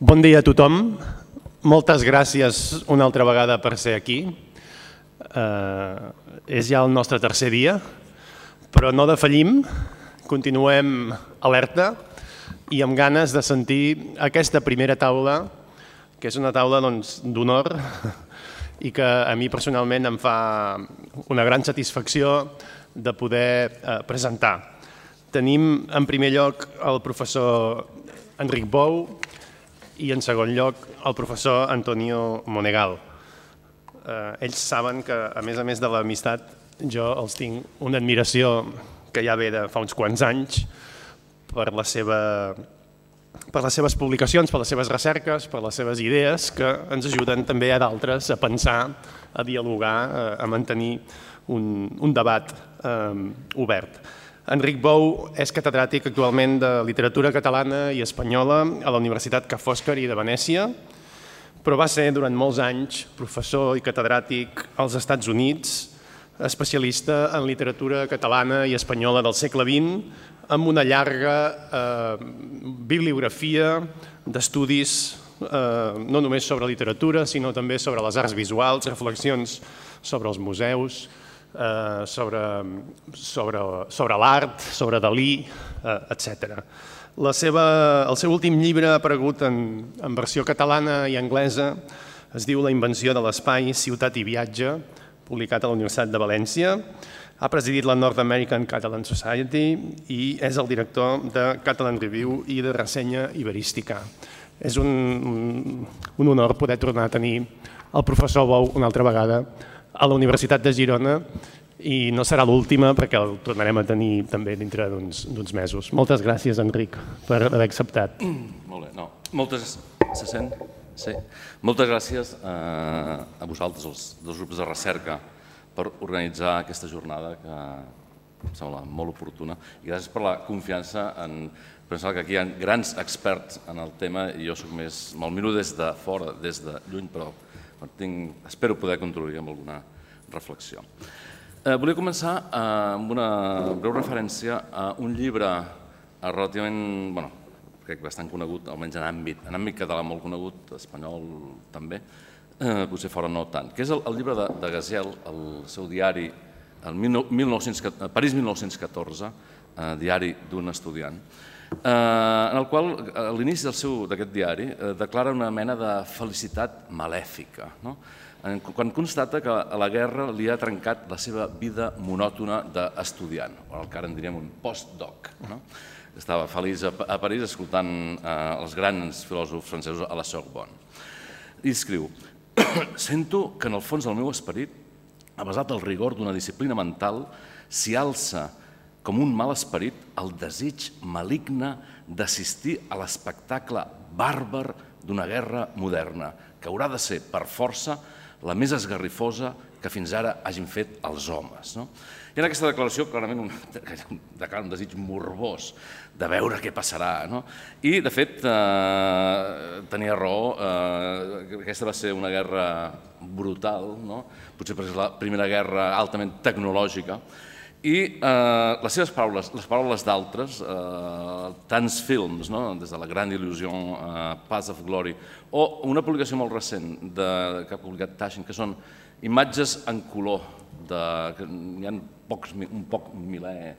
Bon dia a tothom. Moltes gràcies una altra vegada per ser aquí. És ja el nostre tercer dia, però no defallim, continuem alerta i amb ganes de sentir aquesta primera taula, que és una taula d'honor i que a mi personalment em fa una gran satisfacció de poder presentar. Tenim en primer lloc el professor Enric Bou i en segon lloc el professor Antonio Monegal. Ells saben que, a més de l'amistat, jo els tinc una admiració que ja ve de fa uns quants anys per les seves publicacions, per les seves recerques, per les seves idees, que ens ajuden també a d'altres a pensar, a dialogar, a mantenir un debat obert. Enric Bou és catedràtic actualment de literatura catalana i espanyola a la Universitat Ca' Foscari de Venècia, però va ser durant molts anys professor i catedràtic als Estats Units, especialista en literatura catalana i espanyola del segle XX, amb una llarga bibliografia d'estudis no només sobre literatura, sinó també sobre les arts visuals, reflexions sobre els museus, sobre l'art, sobre Dalí, etc. El seu últim llibre ha aparegut en versió catalana i anglesa, es diu La invenció de l'espai, ciutat i viatge, publicat a la Universitat de València. Ha presidit la North American Catalan Society i és el director de Catalan Review i de Ressenya Iberística. És un honor poder tornar a tenir el professor Bou una altra vegada a la Universitat de Girona i no serà l'última perquè el tornarem a tenir també dintre d'uns mesos. Moltes gràcies, Enric, per haver acceptat. Molt bé. Se sent? Sí. Moltes gràcies a vosaltres, els dos grups de recerca, per organitzar aquesta jornada que em sembla molt oportuna i gràcies per la confiança en pensar que aquí hi ha grans experts en el tema i jo me'l miro des de fora, des de lluny, però espero poder contribuir amb alguna reflexió. Volia començar amb una breu referència a un llibre relativament, crec bastant conegut, almenys en àmbit català molt conegut, espanyol també, potser fora no tant, que és el llibre de Gaziel, el seu diari, París 1914, diari d'un estudiant, en el qual, a l'inici d'aquest diari, declara una mena de felicitat malèfica, quan constata que la guerra li ha trencat la seva vida monòtona d'estudiant, o el que ara en diríem un postdoc. Estava feliç a París escoltant els grans filòsofs francesos a la Sorbonne. I escriu: «Sento que en el fons del meu esperit, avesat al rigor d'una disciplina mental, s'hi alça com un mal esperit el desig maligne d'assistir a l'espectacle bàrbar d'una guerra moderna, que haurà de ser, per força, la més esgarrifosa que fins ara hagin fet els homes». I en aquesta declaració, clarament, declara un desig morbós de veure què passarà. I, de fet, tenia raó, aquesta va ser una guerra brutal, potser perquè és la primera guerra altament tecnològica, i les seves paraules, les paraules d'altres, tants films, des de La gran il·lusió, Paths of Glory, o una publicació molt recent que ha publicat Taschen, que són imatges en color, que hi ha un poc miler,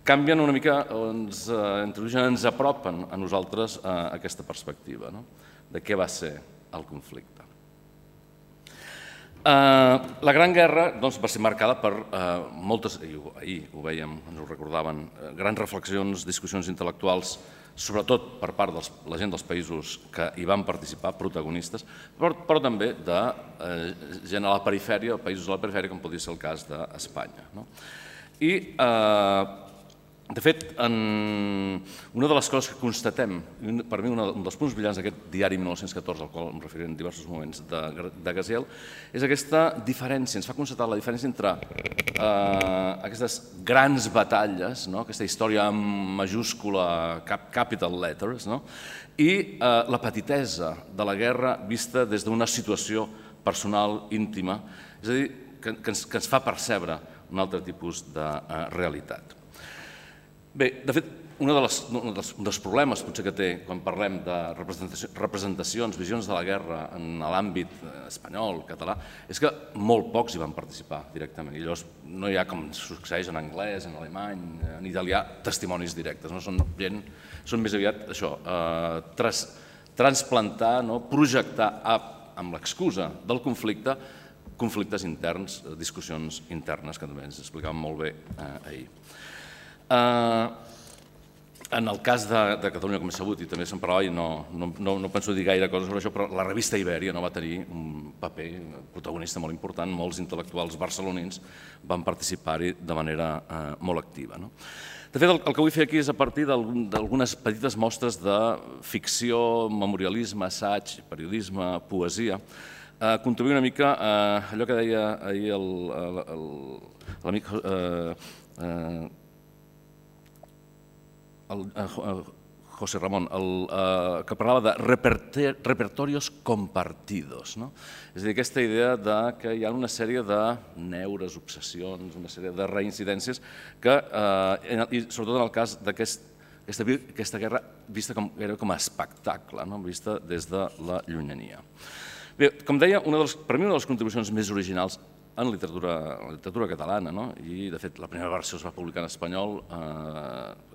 canvien una mica, ens introdueixen, ens apropen a nosaltres aquesta perspectiva de què va ser el conflicte. La Gran Guerra va ser marcada per moltes, ahir ho vèiem, ens ho recordaven, grans reflexions, discussions intel·lectuals, sobretot per part de la gent dels països que hi van participar, protagonistes, però també de gent a la perifèria, països a la perifèria, com podria ser el cas d'Espanya. I, de fet, una de les coses que constatem, per mi un dels punts brillants d'aquest diari 1914, al qual em referiré en diversos moments, de Gaziel, és aquesta diferència, ens fa constatar la diferència entre aquestes grans batalles, aquesta història amb majúscula, capital letters, i la petitesa de la guerra vista des d'una situació personal, íntima, és a dir, que ens fa percebre un altre tipus de realitat. Bé, de fet, un dels problemes potser que té quan parlem de representacions, visions de la guerra en l'àmbit espanyol, català, és que molt pocs hi van participar directament. I llavors no hi ha, com succeeix en anglès, en alemany, en italià, testimonis directes. Són més aviat això, transplantar, projectar amb l'excusa del conflicte, conflictes interns, discussions internes, que també ens explicaven molt bé ahir. En el cas de Catalunya, com és sabut, i també se'n parlava, i no penso dir gaire coses sobre això, però la revista Ibèria va tenir un paper protagonista molt important, molts intel·lectuals barcelonins van participar-hi de manera molt activa. De fet, el que vull fer aquí és a partir d'algunes petites mostres de ficció, memorialisme, assaig, periodisme, poesia, contribuir una mica a allò que deia ahir l'amic José Ramón, que parlava de repertorios compartidos. És a dir, aquesta idea que hi ha una sèrie de neures, obsessions, una sèrie de reincidències que, i sobretot en el cas d'aquesta guerra vista com a espectacle, vista des de la llunyania. Bé, com deia, per mi una de les contribucions més originals en la literatura catalana, i de fet la primera versió es va publicar en espanyol,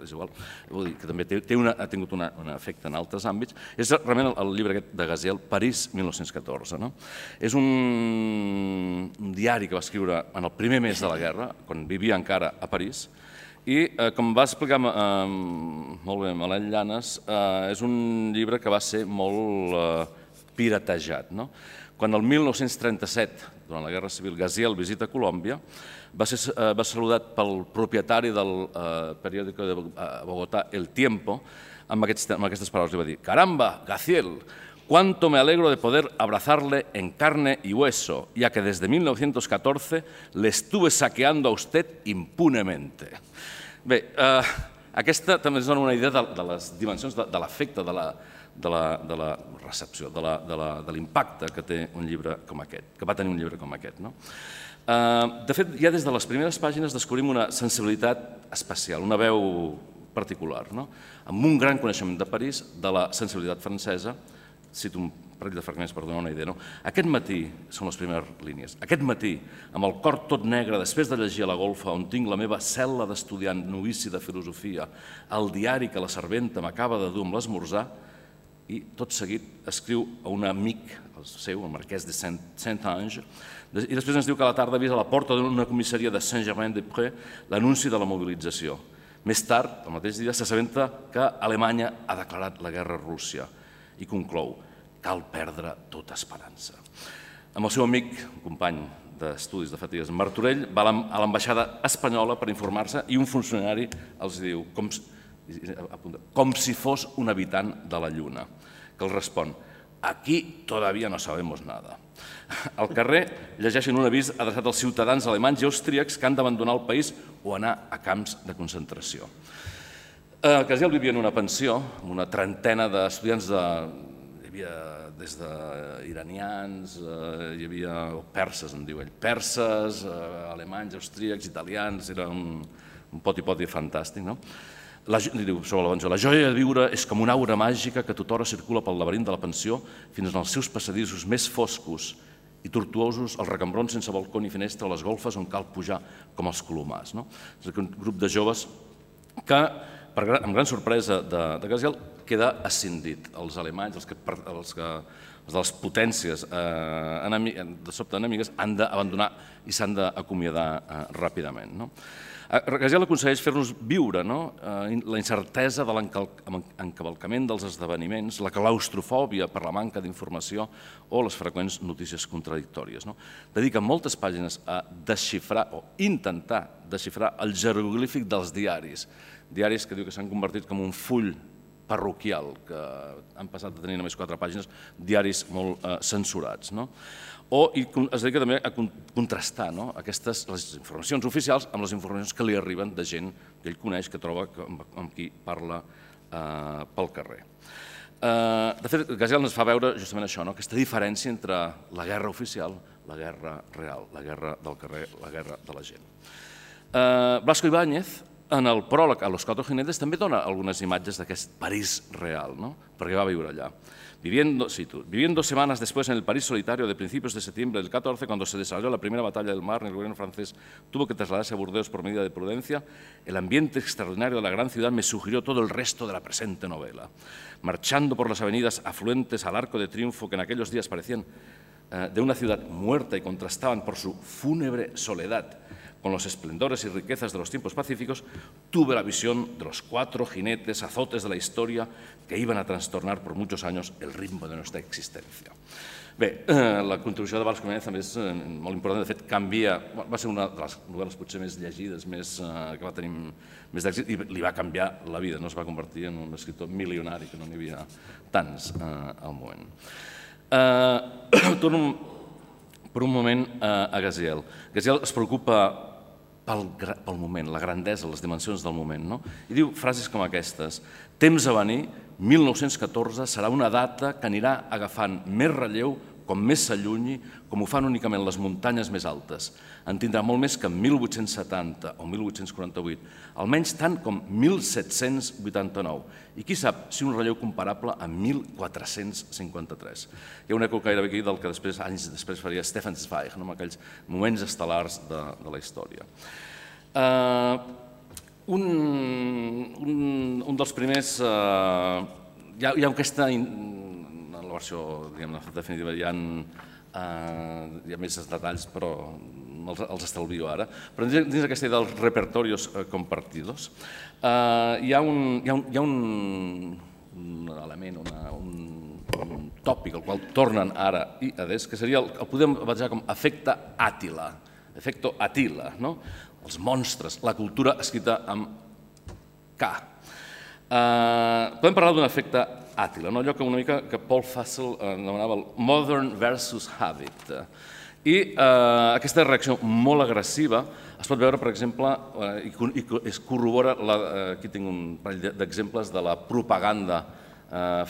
és igual, vull dir que també ha tingut un efecte en altres àmbits, és realment el llibre aquest de Gaziel, París 1914. És un diari que va escriure en el primer mes de la guerra, quan vivia encara a París, i com va explicar molt bé Maleny Llanes, és un llibre que va ser molt piratejat. Quan el 1937, durant la Guerra Civil, Gaziel visita Colòmbia, va ser saludat pel propietari del periòdico de Bogotá, El Tiempo, amb aquestes paraules. Li va dir: «Caramba, Gaziel, cuánto me alegro de poder abrazarle en carne y hueso, ya que desde 1914 le estuve saqueando a usted impunemente». Bé, aquesta també ens dona una idea de les dimensions de l'efecte, de la recepció, de l'impacte que té un llibre com aquest, que va tenir un llibre com aquest. De fet, ja des de les primeres pàgines descobrim una sensibilitat especial, una veu particular, amb un gran coneixement de París, de la sensibilitat francesa. Cito un parell de fragments per donar una idea. Aquest matí, són les primeres línies, aquest matí, amb el cor tot negre, després de llegir a la golfa on tinc la meva cel·la d'estudiant novici de filosofia, el diari que la serventa m'acaba de dur amb l'esmorzar, i tot seguit escriu a un amic, el seu, el marquès de Saint-Ange, i després ens diu que a la tarda ha vist a la porta d'una comissaria de Saint-Germain-des-Prés l'anunci de la mobilització. Més tard, el mateix dia, s'assabenta que Alemanya ha declarat la guerra a Rússia i conclou: cal perdre tota esperança. Amb el seu amic, un company d'estudis de Fatigues, Martorell, va a l'ambaixada espanyola per informar-se i un funcionari els diu, com si fos un habitant de la Lluna, que els respon: aquí todavía no sabemos nada. Al carrer llegeixen un avís adreçat als ciutadans alemanys i austríacs que han d'abandonar el país o anar a camps de concentració. Gaziel vivia en una pensió amb una trentena d'estudiants, hi havia des d'iranians, hi havia perses, en diu ell, perses, alemanys, austríacs, italians, era un poti-poti fantàstic, no? Sobre la pensió: la joia de viure és com una aura màgica que tothora circula pel laberint de la pensió fins als seus passadissos més foscos i tortuosos, els recambrons sense balcó ni finestra, les golfes on cal pujar com els colomars. És un grup de joves que, amb gran sorpresa de Gaziel, queda escindit. Els alemanys, els de les potències de sobte enemigues, han d'abandonar i s'han d'acomiadar ràpidament. Gaziel aconsegueix fer-nos viure la incertesa de l'encavalcament dels esdeveniments, la claustrofòbia per la manca d'informació o les freqüents notícies contradictòries. Dedica moltes pàgines a desxifrar o intentar desxifrar el jeroglífic dels diaris, diaris que diu que s'han convertit com un full parroquial, que han passat de tenir només 4 pàgines, diaris molt censurats. I es dedica també a contrastar les informacions oficials amb les informacions que li arriben de gent que ell coneix, que troba, amb qui parla pel carrer. De fet, Gaziel ens fa veure justament això, aquesta diferència entre la guerra oficial, la guerra real, la guerra del carrer, la guerra de la gent. Blasco Ibáñez en el pròleg a Los Cuatro Jinetes també dona algunes imatges d'aquest París real, perquè va viure allà. Viviendo 2 semanas después en el París solitario de principios de septiembre del 14, cuando se desarrolló la primera batalla del Marne, el gobierno francés tuvo que trasladarse a Burdeos por medida de prudencia, el ambiente extraordinario de la gran ciudad me sugirió todo el resto de la presente novela. Marchando por las avenidas afluentes al Arco de Triunfo, que en aquellos días parecían de una ciudad muerta y contrastaban por su fúnebre soledad con los esplendores y riquezas de los tiempos pacíficos, tuve la visión de los 4 jinetes, azotes de la historia que iban a trastornar por muchos años el ritmo de nuestra existència. Bé, la contribució de Valls Comenet també és molt important. De fet, va ser una de les novel·les potser més llegides, que va tenir més d'èxit, i li va canviar la vida. No es va convertir en un escriptor milionari, que no n'hi havia tants al moment. Torno per un moment a Gaziel. Gaziel es preocupa pel moment, la grandesa, les dimensions del moment. I diu frases com aquestes: temps a venir, 1914, serà una data que anirà agafant més relleu com més s'allunyi, com ho fan únicament les muntanyes més altes. En tindrà molt més que 1870 o 1848, almenys tant com 1789. I qui sap si un relleu comparable a 1453. Hi ha un eco gairebé aquí del que anys després faria Stefan Zweig, amb aquells moments estel·lars de la història. Un dels primers... Hi ha aquesta... En la versió definitiva hi ha més detalls, però els estalvio ara. Però dins aquesta idea dels repertorios compartidos hi ha un element, un tòpic al qual tornen ara i adés, que seria, el podem batejar com efecte Àtila, efecto Attila, els monstres, la cultura escrita amb K. Podem parlar d'un efecte Àtila, allò que una mica que Paul Fussell anomenava el modern versus habit. I aquesta reacció molt agressiva es pot veure, per exemple, i es corrobora, aquí tinc un parell d'exemples de la propaganda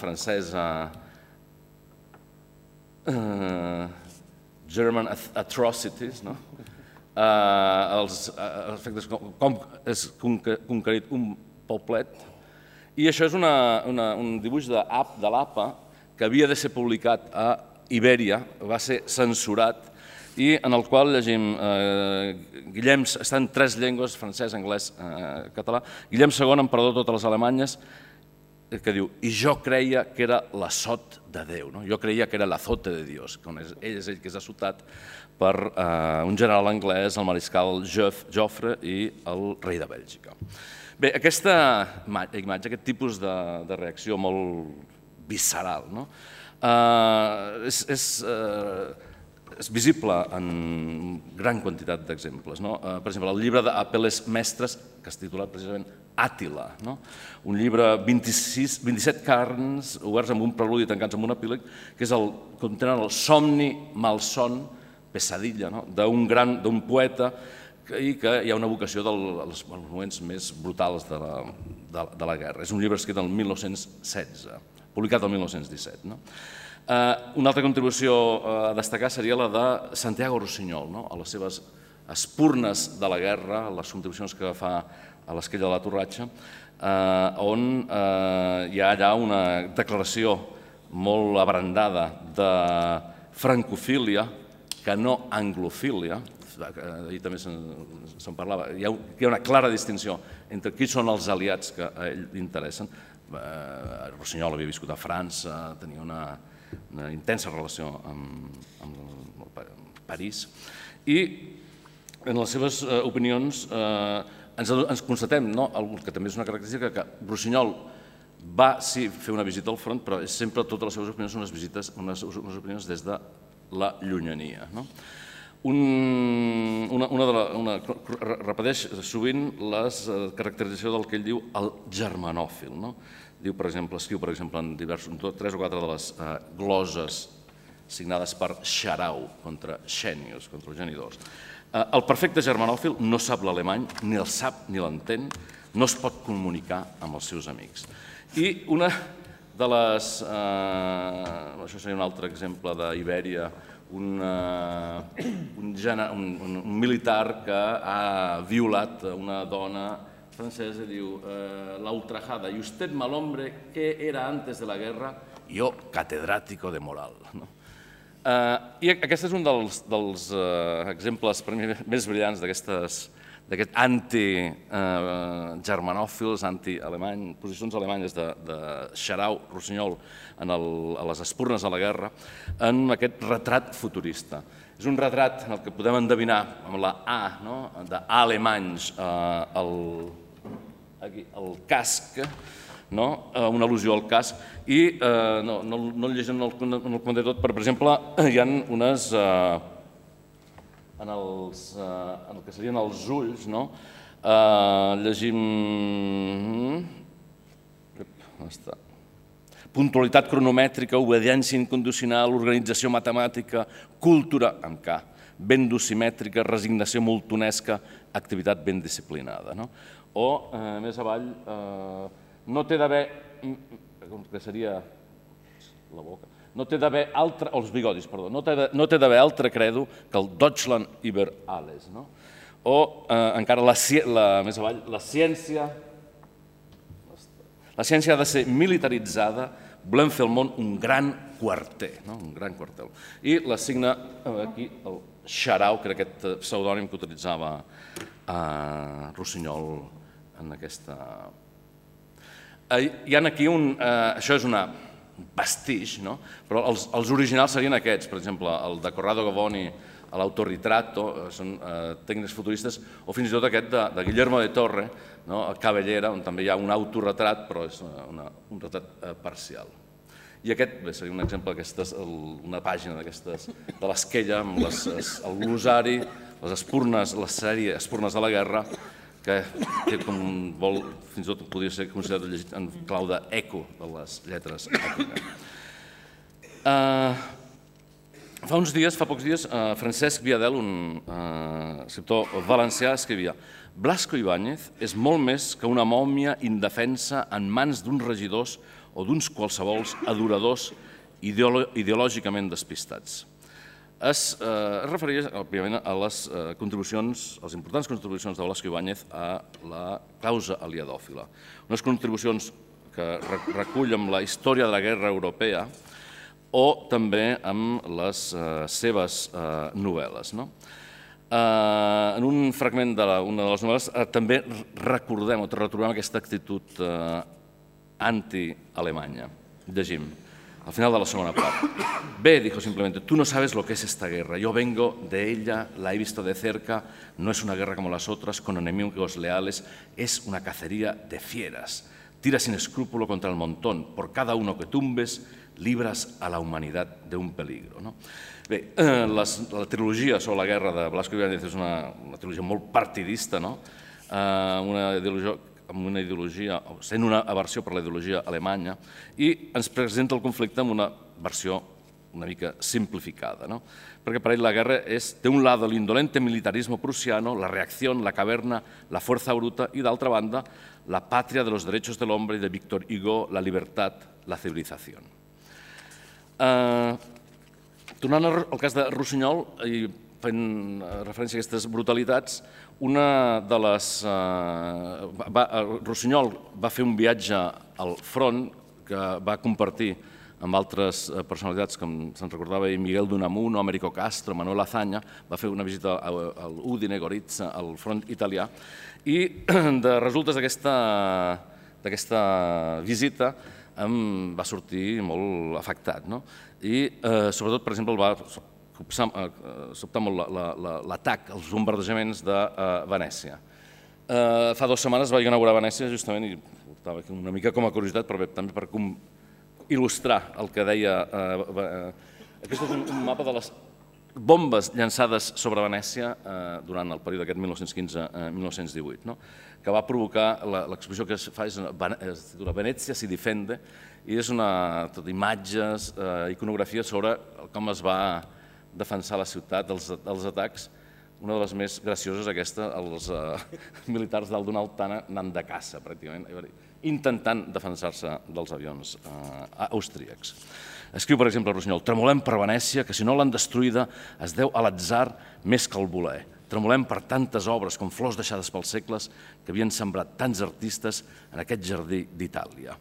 francesa, German Atrocities, els efectes com és conquerit un poblet. I això és un dibuix de l'APA que havia de ser publicat a Ibèria, va ser censurat, i en el qual llegim Guillem, està en 3 llengües, francès, anglès, català, Guillem II, emperador de totes les Alemanyes, que diu: i jo creia que era l'assot de Déu, jo creia que era l'azote de Dios, ell és ell que és assotat per un general anglès, el mariscal Joffre i el rei de Bèlgica. Bé, aquesta imatge, aquest tipus de reacció molt visceral, és visible en gran quantitat d'exemples. Per exemple, el llibre d'Apel·les Mestres, que és titulat precisament Àtila, un llibre 27 carns oberts amb un preludi i tancats amb un epíleg, que contenen el somni, malson, pesadilla, d'un poeta, i que hi ha una vocació dels moments més brutals de la guerra. És un llibre escrit el 1916, publicat el 1917. Una altra contribució a destacar seria la de Santiago Rossinyol, a les seves espurnes de la guerra, les contribucions que fa a l'Esquella de la Torratxa, on hi ha allà una declaració molt abrandada de francofília, que no anglofília. Ahir també se'n parlava. Hi ha una clara distinció entre qui són els aliats que a ell li interessen. Rossinyol havia viscut a França, tenia una intensa relació amb París, i en les seves opinions ens constatem, que també és una característica, que Rossinyol va fer una visita al front, però sempre totes les seves opinions són unes opinions des de la llunyania. Repeteix sovint la caracterització del que ell diu el germanòfil. Escriu, per exemple, en 3 o 4 de les gloses signades per Xarau contra Xènius, contra els genidors. El perfecte germanòfil no sap l'alemany, ni el sap ni l'entén, no es pot comunicar amb els seus amics. I una de les... Això seria un altre exemple d'Ibèria, un militar que ha violat una dona francès i diu la ultrajada, y usted mal hombre, ¿qué era antes de la guerra? Yo, catedrático de moral. I aquest és un dels exemples per mi més brillants d'aquest anti-germanòfils, anti-alemany, posicions alemanyes de Xarau, Rossinyol, a les espurnes de la guerra, en aquest retrat futurista. És un retrat en el que podem endevinar amb la A, d'alemanys, el casc, una al·lusió al casc, i no el llegim en el comentar tot, però, per exemple, hi ha unes, en el que serien els ulls, llegim... On està? Puntualitat cronomètrica, obediència incondicional, organització matemàtica, cultura, amb K, ben dosimètrica, resignació moltonesca, activitat ben disciplinada. O, més avall, no té d'haver, que seria la boca, no té d'haver altre, els bigodis, perdó, no té d'haver altre credo que el Deutschland über alles. O, encara, més avall, la ciència ha de ser militaritzada, volem fer al món un gran quarter, un gran quartel. I l'assigna aquí el Xarau, que era aquest pseudònim que utilitzava Rossinyol en aquesta... Hi ha aquí un... Això és un vestig, però els originals serien aquests, per exemple, el de Corrado Gavoni, l'autoritrato, són tècnics futuristes, o fins i tot aquest de Guillermo de Torre, a Cabellera, on també hi ha un autoretrat, però és un retrat parcial. I aquest seria un exemple, una pàgina d'aquestes, de l'Esquella, amb el glosari, les espurnes, la sèrie Espurnes de la Guerra, que com vol, fins i tot podria ser considerat llegit en clau d'eco de les lletres. Fa pocs dies, Francesc Viadel, un escriptor valencià, escrivia: Blasco Ibáñez és molt més que una mòmia indefensa en mans d'uns regidors o d'uns qualsevols adoradors ideològicament despistats. Es referia, òbviament, a les contribucions, a les importants contribucions de Blasco Ibáñez a la causa aliadòfila. Unes contribucions que recull amb la història de la guerra europea o també amb les seves novel·les. En un fragment d'una de les novel·les també recordem o retrobem aquesta actitud anti-alemanya. Llegim. Al final de la segunda parte. B dijo simplemente, tú no sabes lo que es esta guerra, yo vengo de ella, la he visto de cerca, no es una guerra como las otras, con enemigos leales, es una cacería de fieras. Tira sin escrúpulo contra el montón, por cada uno que tumbes, libras a la humanidad de un peligro. Bé, la trilogia sobre la guerra de Blasco Ibáñez és una trilogia molt partidista, amb una ideologia, sent una aversió per la ideologia alemanya, i ens presenta el conflicte amb una versió una mica simplificada, perquè per ell la guerra té un lado el indolente militarismo prusiano, la reacción, la caverna, la fuerza bruta, i d'altra banda, la patria de los derechos del hombre de Victor Hugo, la libertad, la civilización. Tornant al cas de Rossinyol, i fent referència a aquestes brutalitats, Rossinyol va fer un viatge al front que va compartir amb altres personalitats, com se'n recordava Miguel d'Unamuno, Américo Castro, Manuel Azaña, va fer una visita al Udine, Gorizia, al front italià, i de resultes d'aquesta visita em va sortir molt afectat. I sobretot, per exemple, va sobtar molt l'atac, els bombardejaments de Venècia. Fa 2 setmanes vaig inaugurar Venècia, justament, i portava aquí una mica com a curiositat, però també per il·lustrar el que deia... Aquest és un mapa de les bombes llançades sobre Venècia durant el període aquest 1915-1918, que va provocar, l'exposició que es fa es titula Venècia si difende, i és tot imatges, iconografia sobre com es va defensar la ciutat dels atacs. Una de les més gracioses, aquesta, els militars dalt d'una altana anant de caça, pràcticament, intentant defensar-se dels avions austríacs. Escriu, per exemple, Rossinyol: tremolem per Venècia, que si no l'han destruïda es deu a l'atzar més que al voler. tremolem per tantes obres com flors deixades pels segles que havien sembrat tants artistes en aquest jardí d'Itàlia.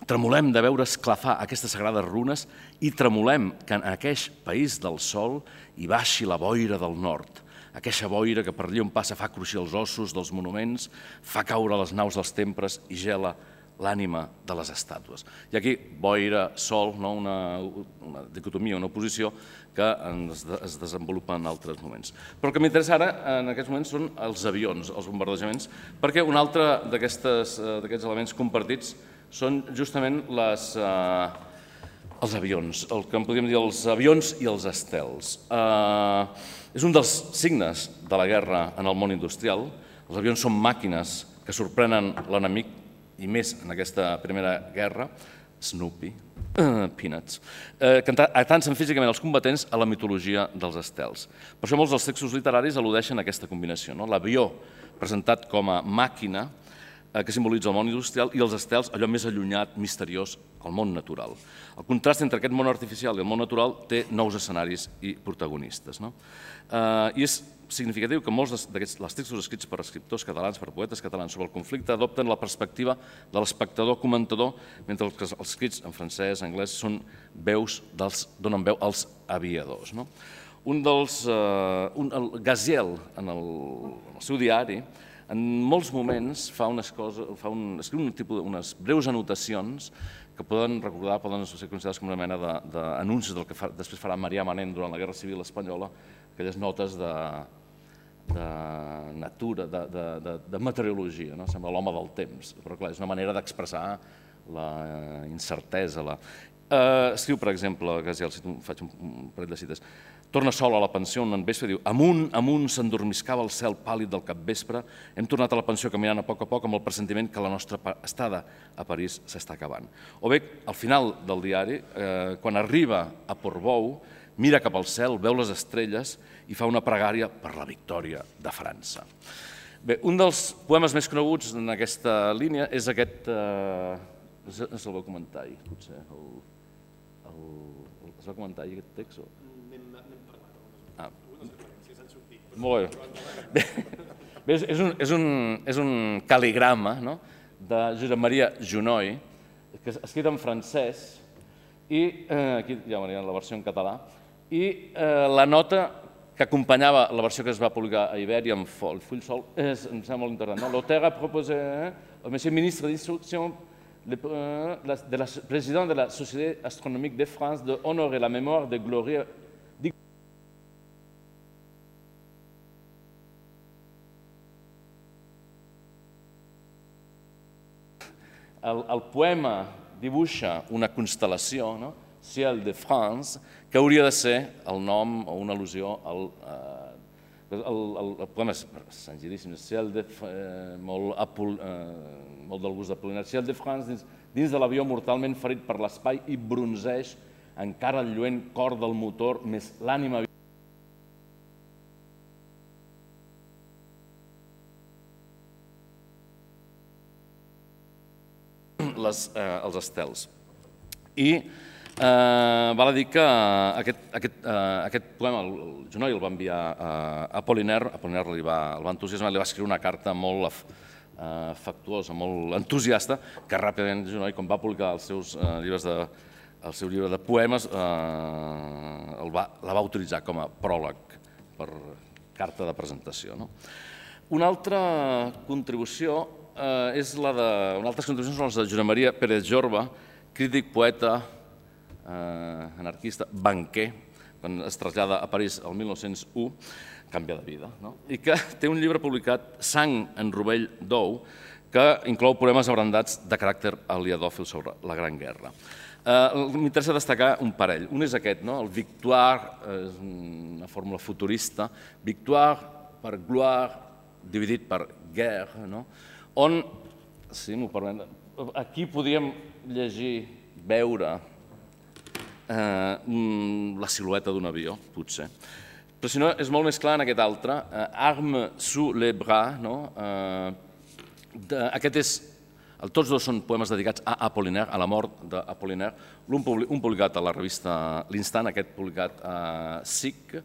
Tremolem de veure esclafar aquestes sagrades runes i tremolem que en aqueix país del sol hi baixi la boira del nord, aqueixa boira que per allà on passa fa cruixir els ossos dels monuments, fa caure les naus dels temples i gela l'ànima de les estàtues. I aquí, boira, sol, una dicotomia, una oposició que es desenvolupa en altres moments. Però el que m'interessa ara, en aquests moments, són els avions, els bombardejaments, perquè un altre d'aquests elements compartits són justament els avions, el que en podríem dir els avions i els estels. És un dels signes de la guerra en el món industrial. Els avions són màquines que sorprenen l'enemic, i més en aquesta primera guerra, Snoopy, Peanuts, que atansen físicament els combatents a la mitologia dels estels. Per això molts dels textos literaris al·ludeixen a aquesta combinació, l'avió presentat com a màquina que simbolitza el món industrial i els estels, allò més allunyat, misteriós, el món natural. El contrast entre aquest món artificial i el món natural té nous escenaris i protagonistes. I és significatiu que molts dels textos escrits per escriptors catalans, per poetes catalans sobre el conflicte, adopten la perspectiva de l'espectador-comentador, mentre que els escrits en francès, anglès, donen veu als aviadors. Gaziel, en el seu diari, en molts moments escriu unes breus anotacions que poden recordar, poden ser considerades com una mena d'anuncis del que després farà Marià Manent durant la Guerra Civil Espanyola, aquelles notes de natura, de meteorologia, sembla l'home del temps, però clar, és una manera d'expressar la incertesa. Escriu, per exemple, Gaziel, faig un parell de cites, torna sol a la pensió un vespre i diu amunt s'endormiscava el cel pàl·lid del capvespre, hem tornat a la pensió caminant a poc amb el pressentiment que la nostra estada a París s'està acabant. O bé, al final del diari, quan arriba a Portbou, mira cap al cel, veu les estrelles i fa una pregària per la victòria de França. Bé, un dels poemes més coneguts en aquesta línia és aquest... No sé si el vau comentar ahir, potser. Es va comentar ahir aquest text? N'hem parlat. Molt bé. És un cal·ligrama de Josep Maria Junoy, escrit en francès, i aquí ja veurien la versió en català, i la nota que acompanyava la versió que es va publicar a Ibèria amb full sol, em sembla molt interessant. L'auteur a proposé au monsieur ministre d'instruction de la président de la Société astronomique de France d'honorer la mémoire de Gloria. El poema dibuixa una constel·lació, Ciel de France, que hauria de ser el nom o una al·lusió al... El poema és senzillíssim, molt del gust d'Apollinaire. Ciel de France, dins de l'avió mortalment ferit per l'espai i bronzeix encara el lluent cor del motor, més l'ànima... els estels. I val a dir que aquest poema, el Junoy el va enviar a Apollinaire, Apollinaire el va entusiasmar, li va escriure una carta molt afectuosa, molt entusiasta, que ràpidament Junoy, quan va publicar el seu llibre de poemes, la va utilitzar com a pròleg per carta de presentació. Una altra contribució són les de Josep Maria Pérez Jorba, crític, poeta, anarquista, banquer, quan es trasllada a París el 1901, canvia de vida, i que té un llibre publicat, Sang en rovell d'ou, que inclou poemes abrandats de caràcter aliadòfil sobre la Gran Guerra. M'interessa destacar un parell. Un és aquest, el Victoire, és una fórmula futurista, Victoire per gloire, dividit per guerre, on, si m'ho permet, aquí podíem llegir, veure la silueta d'un avió, potser. Però si no, és molt més clar en aquest altre, Arme sous les bras. Tots dos són poemes dedicats a Apollinaire, a la mort d'Apollinaire, un publicat a la revista L'Instant, aquest publicat a SIC,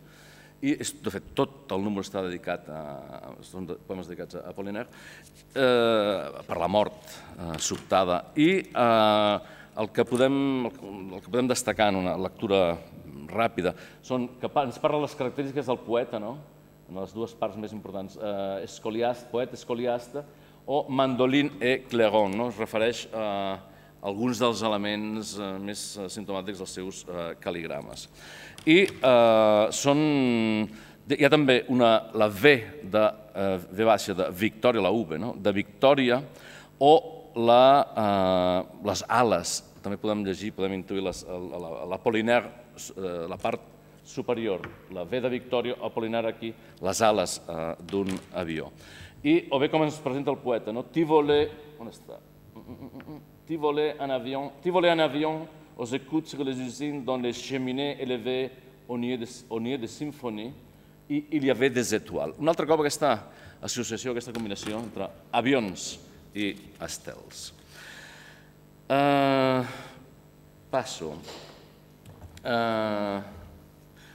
i de fet tot el número està dedicat són poemes dedicats a Apollinaire, per la mort sobtada. I el que podem destacar en una lectura ràpida són que ens parla de les característiques del poeta, en les dues parts més importants, poeta escoliasta o mandolin et clairon, es refereix a alguns dels elements més simptomàtics dels seus cal·ligrames. I hi ha també la V baixa de Victòria, la V, de Victòria, o les ales, també podem llegir, podem intuir l'Apollinaire, la part superior, la V de Victòria, Apollinaire aquí, les ales d'un avió. O bé com ens presenta el poeta, «Ti volais, on està? Ti volais en avion aux écoutes sur les usines dont les cheminées élevées au nier de symphonie i il y avait des étoiles». Un altre cop aquesta associació, aquesta combinació entre avions i estels. Passo.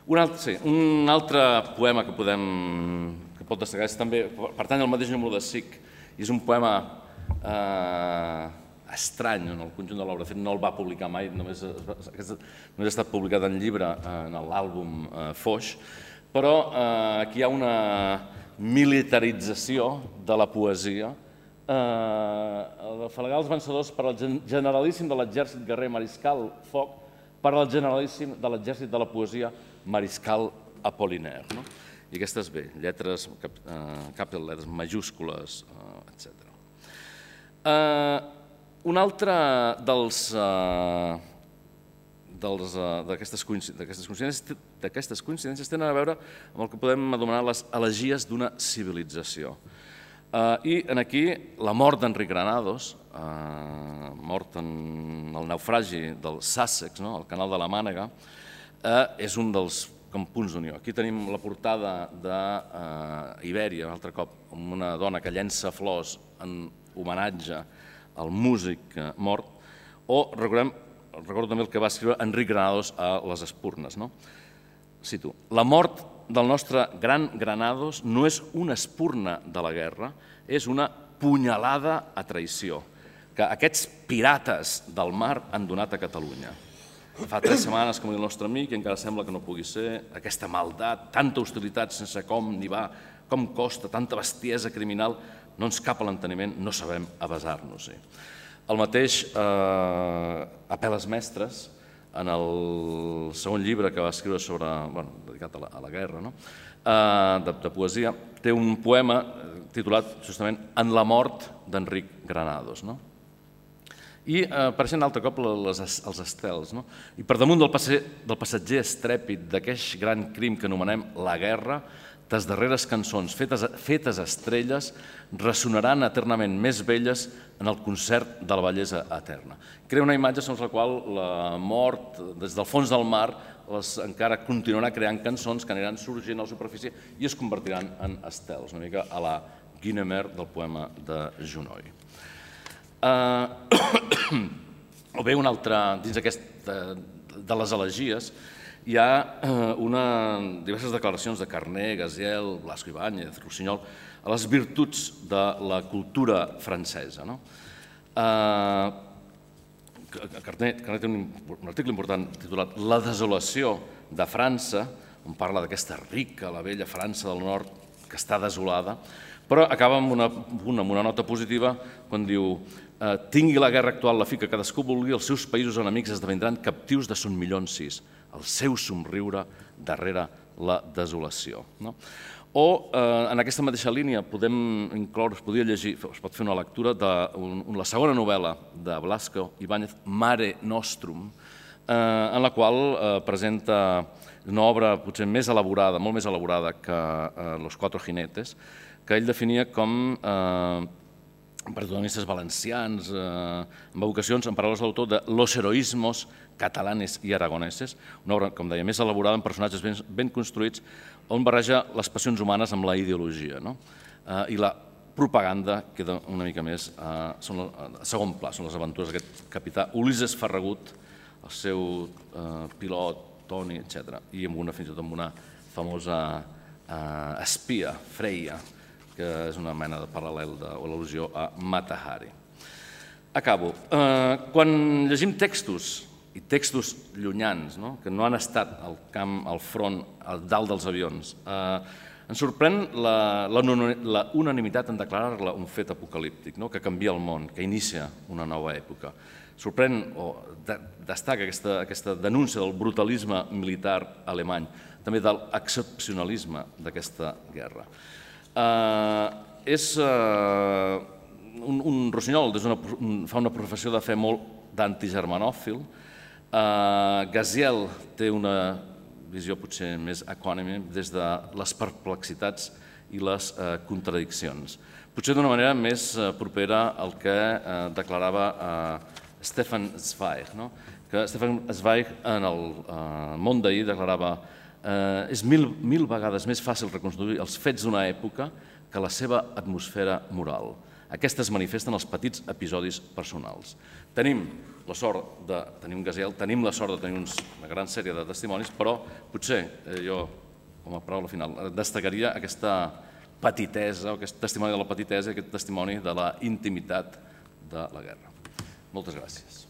Un altre poema que pot destacar és també, pertany al mateix número de SIC, i és un poema estrany en el conjunt de l'obra. De fet, no el va publicar mai, només ha estat publicat en llibre en l'àlbum Foix, però aquí hi ha una militarització de la poesia. Afalagar els vencedors per al generalíssim de l'exèrcit guerrer Mariscal Foc, per al generalíssim de l'exèrcit de la poesia Mariscal Apollinaire. I aquestes, bé, lletres, capital letters, majúscules, etc. Un altre d'aquestes coincidències tenen a veure amb el que podem anomenar les elegies d'una civilització. I aquí la mort d'Enric Granados, mort en el naufragi del Sussex, al canal de la Mànega, és un dels punts d'unió. Aquí tenim la portada d'Ibèria, un altre cop, amb una dona que llença flors en homenatge al músic mort, o recordo també el que va escriure Enric Granados a les Espurnes. Cito: «La mort del nostre gran Granados no és una espurna de la guerra, és una punyalada a traïció que aquests pirates del mar han donat a Catalunya. Fa 3 setmanes que mor el nostre amic i encara sembla que no pugui ser. Aquesta maldat, tanta hostilitat sense com ni va, com costa, tanta bestiesa criminal, no ens cap a l'enteniment, no sabem avasar-nos-hi». El mateix Apel·les Mestres, en el segon llibre que va escriure dedicat a la guerra, de poesia, té un poema titulat justament «En la mort d'Enric Granados». I apareixen altre cop els estels. I per damunt del passatger estrèpid d'aquest gran crim que anomenem la guerra, tes darreres cançons fetes estrelles ressonaran eternament més belles en el concert de la bellesa eterna. Crea una imatge segons la qual la mort, des del fons del mar, encara continuarà creant cançons que aniran sorgint a la superfície i es convertiran en estels, una mica a la Guinemer del poema de Junoi. O bé, un altre, dins de les elegies, hi ha diverses declaracions de Carner, Gaziel, Blasco Ibáñez, Rossinyol, a les virtuts de la cultura francesa. Carner té un article important titulat «La desolació de França», on parla d'aquesta rica, la vella França del nord, que està desolada, però acaba amb una nota positiva quan diu: «Tingui la guerra actual la fi que cadascú vulgui, els seus països enemics esdevindran captius de son milions, el seu somriure darrere la desolació». O en aquesta mateixa línia es podria llegir, es pot fer una lectura de la segona novel·la de Blasco Ibáñez, Mare Nostrum, en la qual presenta una obra potser més elaborada, molt més elaborada que Los Cuatro Jinetes, que ell definia com protagonistes valencians, amb evocacions, en paraules de l'autor, de los heroísmos catalanes i aragoneses, una obra, com deia, més elaborada amb personatges ben construïts, on barreja les passions humanes amb la ideologia. I la propaganda queda una mica més a segon pla, són les aventures d'aquest capità Ulisses Ferragut, el seu pilot, Toni, etc. I fins i tot amb una famosa espia, Freya, que és una mena de paral·lel o al·lusió a Mata Hari. Acabo. Quan llegim textos, i textos llunyans, que no han estat al camp, al front, al dalt dels avions, ens sorprèn la unanimitat en declarar-la un fet apocalíptic, que canvia el món, que inicia una nova època. Sorprèn o destaca aquesta denúncia del brutalisme militar alemany, també de l'excepcionalisme d'aquesta guerra. És un rossinyol, fa una professió de fe molt d'antigermanòfil. Gaziel té una visió potser més econòmica des de les perplexitats i les contradiccions. Potser d'una manera més propera al que declarava Stefan Zweig, que Stefan Zweig en el Món d'ahir declarava és mil vegades més fàcil reconstruir els fets d'una època que la seva atmosfera moral. Aquesta es manifesta en els petits episodis personals. Tenim la sort de tenir un Gaziel, tenim la sort de tenir una gran sèrie de testimonis, però potser jo, com a paraula final, destacaria aquesta petitesa, aquest testimoni de la petitesa, aquest testimoni de la intimitat de la guerra. Moltes gràcies.